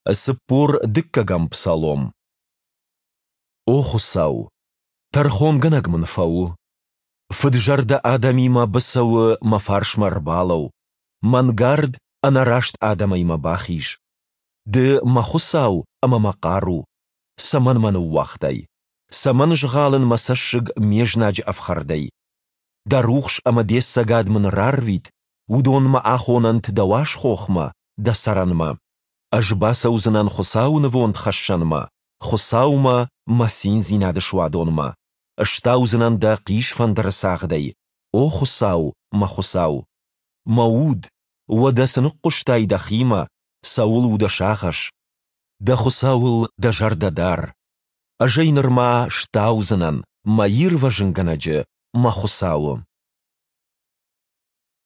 42-ӕм псалом. О Хуыцау, тӕрхонгӕнӕг мын фӕу. Фыд-зӕрдӕ адӕмимӕ быцӕуы мӕ фарсмӕ ӕрбалӕуу, мӕнгард, ӕнӕраст адӕмӕй мӕ бахиз. Ды мӕ Хуыцау ӕмӕ мӕ хъару, цӕмӕн мӕ ныууагътай? Цӕмӕн згъалын мӕ цӕссыг ме знаджы ӕфхӕрдӕй? Дӕ рухс ӕмӕ де цӕгад мын рарвит, уыдон мӕ ахонӕнт дӕ уаз хохмӕ, дӕ цӕрӕнмӕ. Ӕз бацӕудзынӕн Хуыцауы нывондхӕссӕнмӕ, Хуыцаумӕ, мӕ циндзинады суадонмӕ. Стаудзынӕн дӕ хъисфӕндыры цагъдӕй, о Хуыцау, мӕ Хуыцау! Мӕ уд, уӕдӕ цы ныхъхъуыстай дӕхимӕ, цӕуыл у дӕ сагъӕс? Дӕ Хуыцауыл дӕ зӕрдӕ дар. Ӕз ӕй нырма стаудзынӕн, мӕ Ирвӕзынгӕнӕджы, мӕ Хуыцауы.